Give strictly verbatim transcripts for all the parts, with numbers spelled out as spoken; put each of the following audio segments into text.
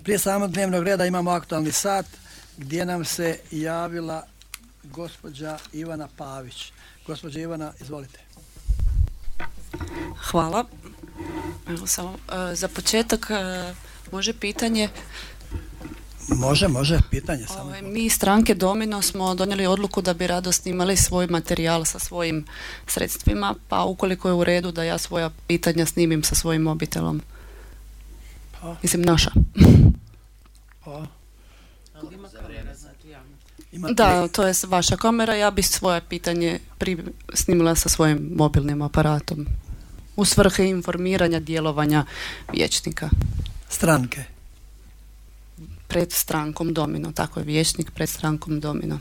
Prije samog dnevnog reda imamo aktualni sat gdje nam se javila gospođa Ivana Pavić. Gospođa Ivana, izvolite. Hvala. Evo samo, e, za početak e, može pitanje? Može, može, pitanje samo. Ove, mi iz stranke Domino smo donijeli odluku da bi rado snimali svoj materijal sa svojim sredstvima, pa ukoliko je u redu da ja svoja pitanja snimim sa svojim mobitelom. Pa. Mislim, naša. Pa. Da, to je vaša kamera, ja bi svoje pitanje pri, snimila sa svojim mobilnim aparatom u svrhe informiranja djelovanja vijećnika. Stranke? Pred strankom Domino, tako je, vijećnik pred strankom Domino.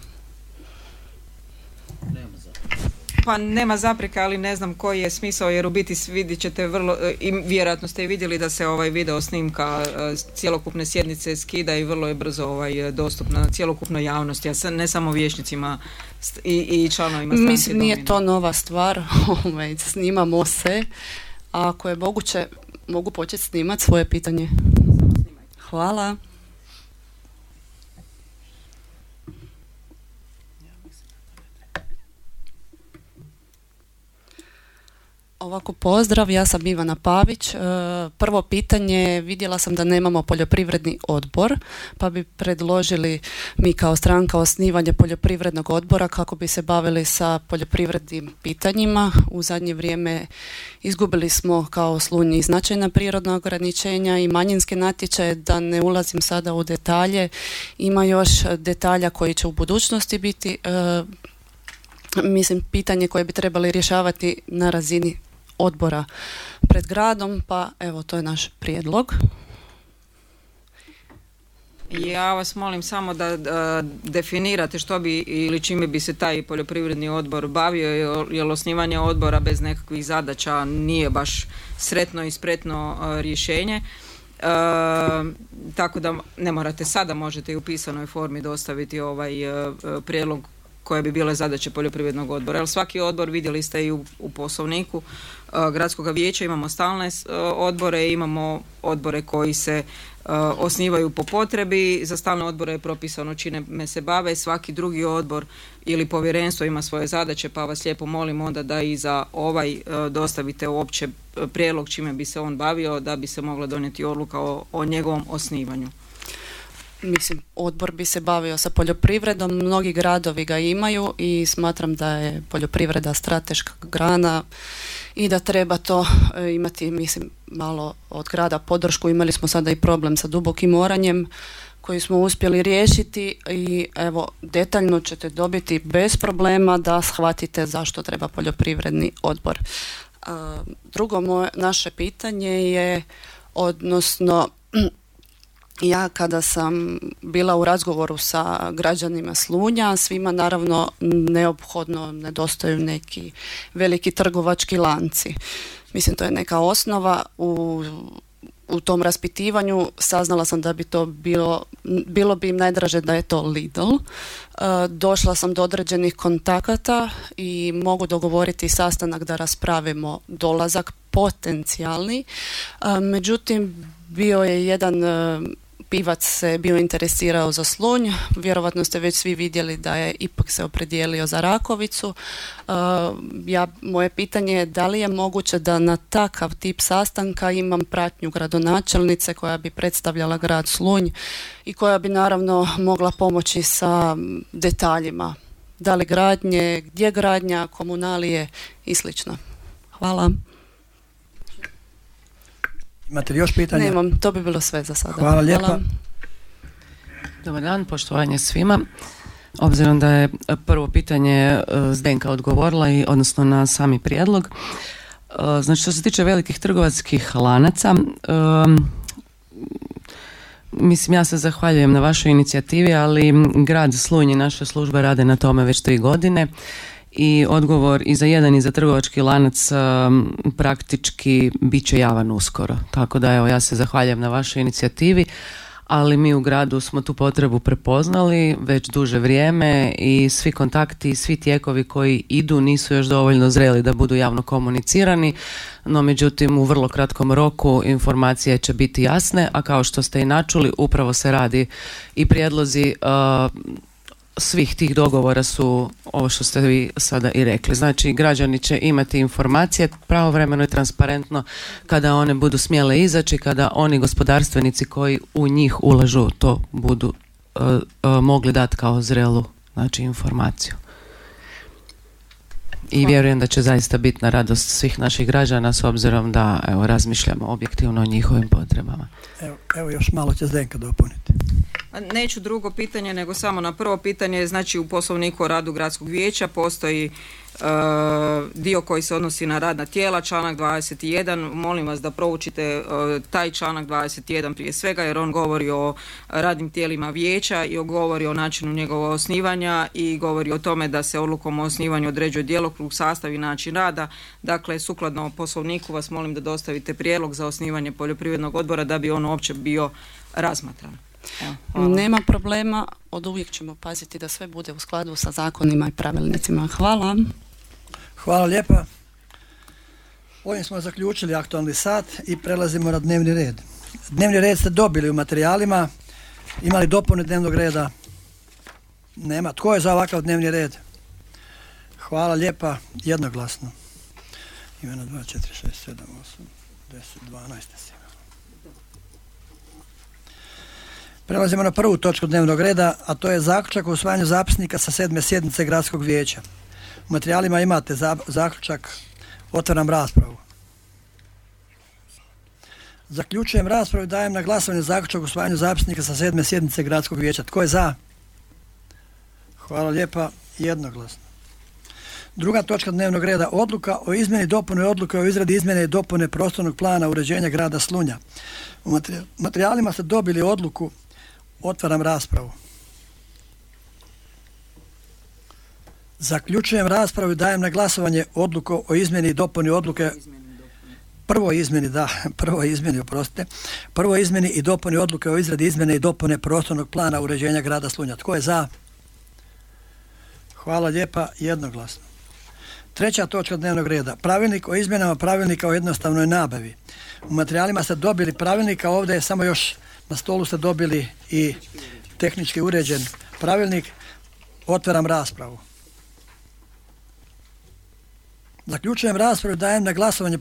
Pa nema zapreka, ali ne znam koji je smisao, jer u biti vidjet ćete vrlo, i vjerojatno ste i vidjeli da se ovaj video snimka cjelokupne sjednice skida i vrlo je brzo ovaj, dostupna cjelokupnoj javnosti, a ne samo vijećnicima i, i članovima stranke. Mislim, nije to nova stvar, snimamo se, a ako je moguće, mogu početi snimati svoje pitanje. Hvala. Ovako, pozdrav, ja sam Ivana Pavić. Prvo pitanje, vidjela sam da nemamo poljoprivredni odbor, pa bi predložili mi kao stranka osnivanje poljoprivrednog odbora kako bi se bavili sa poljoprivrednim pitanjima. U zadnje vrijeme izgubili smo kao Slunj značajna prirodna ograničenja i manjinske natječaje, da ne ulazim sada u detalje. Ima još detalja koji će u budućnosti biti, mislim, pitanje koje bi trebali rješavati na razini odbora pred gradom, pa evo, to je naš prijedlog. Ja vas molim samo da, da definirate što bi ili čime bi se taj poljoprivredni odbor bavio, jer osnivanje odbora bez nekakvih zadaća nije baš sretno i spretno uh, rješenje. Uh, tako da ne morate sada, možete i u pisanoj formi dostaviti ovaj uh, prijedlog koje bi bile zadaće poljoprivrednog odbora. Jer svaki odbor, vidjeli ste i u, u poslovniku uh, gradskog vijeća, imamo stalne uh, odbore, imamo odbore koji se uh, osnivaju po potrebi. Za stalne odbore je propisano čime se bave. Svaki drugi odbor ili povjerenstvo ima svoje zadaće, pa vas lijepo molim onda da i za ovaj uh, dostavite uopće prijedlog čime bi se on bavio, da bi se mogla donijeti odluka o, o njegovom osnivanju. Mislim, odbor bi se bavio sa poljoprivredom, mnogi gradovi ga imaju i smatram da je poljoprivreda strateška grana i da treba to imati, mislim, malo od grada podršku. Imali smo sada i problem sa dubokim oranjem koji smo uspjeli riješiti i evo, detaljno ćete dobiti bez problema da shvatite zašto treba poljoprivredni odbor. Drugo moje, naše pitanje je, odnosno ja kada sam bila u razgovoru sa građanima Slunja, svima naravno neophodno nedostaju neki veliki trgovački lanci. Mislim, to je neka osnova. U, u tom raspitivanju saznala sam da bi to bilo, bilo bi im najdraže da je to Lidl. E, došla sam do određenih kontakata i mogu dogovoriti sastanak da raspravimo dolazak potencijalni. E, međutim, bio je jedan e, pivac se bio interesirao za Slunj, vjerovatno ste već svi vidjeli da je ipak se opredijelio za Rakovicu. Uh, ja, moje pitanje je da li je moguće da na takav tip sastanka imam pratnju gradonačelnice koja bi predstavljala grad Slunj i koja bi naravno mogla pomoći sa detaljima, da li gradnje, gdje gradnja, komunalije i slično. Hvala. Imate li još pitanja? Nemam, to bi bilo sve za sada. Hvala lijepa. Hvala. Dobar dan, poštovanje svima. Obzirom da je prvo pitanje Zdenka odgovorila, i odnosno na sami prijedlog. Znači, što se tiče velikih trgovačkih lanaca, um, mislim, ja se zahvaljujem na vašoj inicijativi, ali grad Slunj i naše službe rade na tome već tri godine. I odgovor i za jedan i za trgovački lanac um, praktički bit će javan uskoro. Tako da evo, ja se zahvaljujem na vašoj inicijativi, ali mi u gradu smo tu potrebu prepoznali već duže vrijeme i svi kontakti, svi tijekovi koji idu nisu još dovoljno zreli da budu javno komunicirani, no međutim u vrlo kratkom roku informacije će biti jasne, a kao što ste i načuli, upravo se radi i prijedlozi uh, svih tih dogovora su ovo što ste vi sada i rekli. Znači, građani će imati informacije pravovremeno i transparentno kada one budu smjele izaći, kada oni gospodarstvenici koji u njih ulažu to budu uh, uh, mogli dati kao zrelu, znači, informaciju. I vjerujem da će zaista biti na radost svih naših građana s obzirom da, evo, razmišljamo objektivno o njihovim potrebama. Evo, evo još malo će Zdenka dopuniti. Neću drugo pitanje, nego samo na prvo pitanje. Znači, u Poslovniku o radu gradskog vijeća postoji uh, dio koji se odnosi na radna tijela, članak dvadeset jedan. Molim vas da proučite uh, taj članak dvadeset jedan prije svega, jer on govori o radnim tijelima vijeća i govori o načinu njegova osnivanja i govori o tome da se odlukom o osnivanju određuje djelokrug, sastav i način rada. Dakle, sukladno Poslovniku vas molim da dostavite prijedlog za osnivanje poljoprivrednog odbora da bi on uopće bio razmatran. Evo, nema problema, od uvijek ćemo paziti da sve bude u skladu sa zakonima i pravilnicima. Hvala. Hvala lijepa. Ovim smo zaključili aktualni sat i prelazimo na dnevni red. Dnevni red ste dobili u materijalima. Imali dopune dnevnog reda? Nema. Tko je za ovakav dnevni red? Hvala lijepa. Jednoglasno. Imeno dva, četiri, šest, sedam, osam, deset, dvanaest. Prelazimo na prvu točku dnevnog reda, a to je zaključak o usvajanju zapisnika sa sedme sjednice gradskog vijeća. U materijalima imate za, zaključak, otvaram raspravu. Zaključujem raspravu i dajem na glasovanje zaključak o usvajanju zapisnika sa sedme sjednice gradskog vijeća. Tko je za? Hvala lijepa, jednoglasno. Druga točka dnevnog reda, odluka o izmjeni dopune odluke o izradi izmjene i dopune prostornog plana uređenja grada Slunja. U materijalima ste dobili odluku. Otvaram raspravu. Zaključujem raspravu i dajem na glasovanje odluku o izmjeni i dopuni odluke. Prvo izmjeni, da, prvo izmjeni, oprostite. Prvo izmjeni i dopuni odluke o izradi izmjene i dopune prostornog plana uređenja grada Slunja. Tko je za? Hvala lijepa, jednoglasno. Treća točka dnevnog reda. Pravilnik o izmjenama pravilnika o jednostavnoj nabavi. U materijalima ste dobili pravilnika, ovdje je samo još na stolu ste dobili i tehnički uređen pravilnik. Otvaram raspravu. Zaključujem raspravu, dajem na glasovanje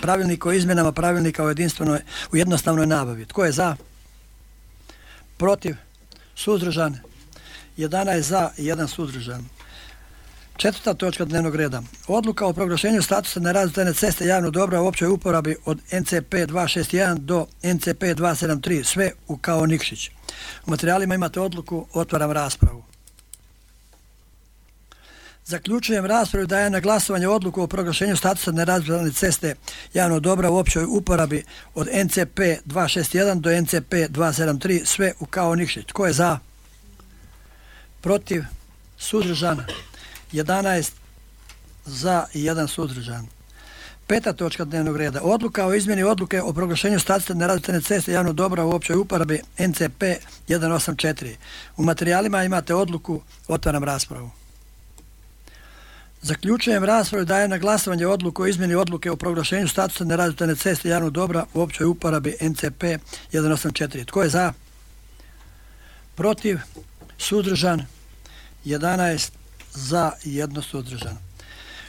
pravilnik o izmjenama pravilnika o jedinstvenoj, u jednostavnoj nabavi. Tko je za? Protiv? Suzdržan? jedanaest za i jedan suzdržan. Četvrta točka dnevnog reda. Odluka o proglašenju statusa nerazvrstane ceste javnog dobra u općoj uporabi od N C P dva šest jedan do N C P dva sedam tri, sve u Kao Nikšić. U materijalima imate odluku, otvaram raspravu. Zaključujem raspravu i dajem na glasovanje odluku o proglašenju statusa nerazvrstane ceste javnog dobra u općoj uporabi od N C P dva šest jedan do N C P dva sedam tri, sve u Kao Nikšić. Tko je za? Protiv? Suzdržan? jedanaest za i jedan suzdržan. Peta točka dnevnog reda. Odluka o izmjeni odluke o proglašenju statusa nerazvrstane ceste javnog dobra u općoj uporabi N C P jedan osam četiri. U materijalima imate odluku, otvaram raspravu. Zaključujem raspravu i dajem na glasovanje odluku o izmjeni odluke o proglašenju statusa nerazvrstane ceste javnog dobra u općoj uporabi N C P jedan osam četiri. Tko je za? Protiv? Suzdržan? jedanaest za i jedno suzdržan.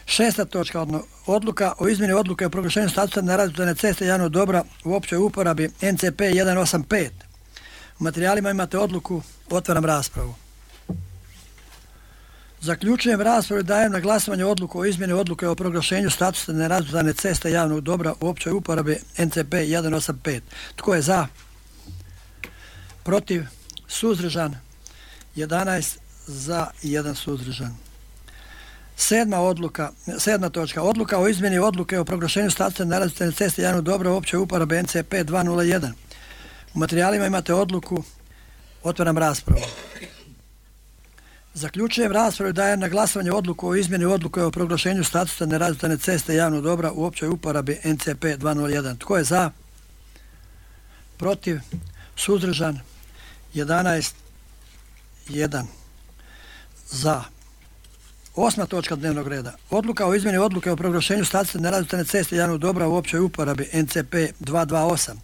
Šesta točka, odluka o izmjeni odluke o proglašenju statusa nerazvrstane ceste javnog dobra u općoj uporabi N C P jedan osam pet. U materijalima imate odluku, otvaram raspravu. Zaključujem raspravu i dajem na glasovanje odluku o izmjeni odluke o proglašenju statusa nerazvrstane ceste javnog dobra u općoj uporabi N C P jedan osam pet. Tko je za? Protiv? Suzdržan? jedanaest za i jedan suzdržan. Sedma odluka, sedma točka, odluka o izmjeni odluke o proglašenju statusa nerazvrstane ceste javnog dobra u općoj uporabi N C P dva nula jedan. U materijalima imate odluku, otvaram raspravu. Zaključujem raspravu i dajem na glasovanje odluku o izmjeni odluke o proglašenju statusa nerazvrstane ceste javnog dobra u općoj uporabi N C P dva nula jedan. Tko je za? Protiv? Suzdržan? jedanaest jedan za. Osma točka dnevnog reda. Odluka o izmjeni odluke o proglašenju statusa nerazvrstane ceste javnog dobra u općoj uporabi N C P dvjesto dvadeset osam.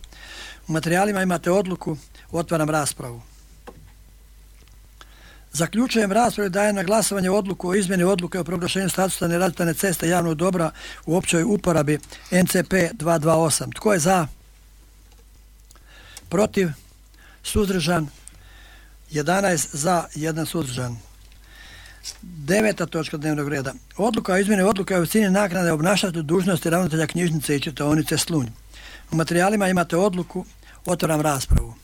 U materijalima imate odluku, otvaram raspravu. Zaključujem raspravu i dajem na glasovanje odluku o izmjeni odluke o proglašenju statusa nerazvrstane ceste javnog dobra u općoj uporabi N C P dvjesto dvadeset osam. Tko je za? Protiv? Suzdržan? jedanaest za, jedan suzdržan. Deveta točka dnevnog reda. Odluka o izmjeni odluke o visini naknade obnašatelju dužnosti ravnatelja knjižnice i čitaonice Slunj. U materijalima imate odluku, otvaram raspravu.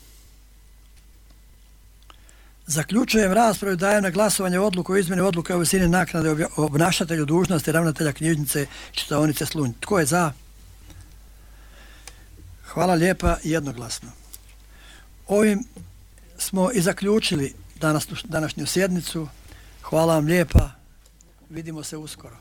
Zaključujem raspravu i dajem na glasovanje odluku o izmjeni odluke o visini naknade obnašatelju dužnosti ravnatelja knjižnice i čitaonice Slunj. Tko je za? Hvala lijepa, jednoglasno. Ovim smo i zaključili danas, današnju sjednicu. Hvala vam lijepa. Vidimo se uskoro.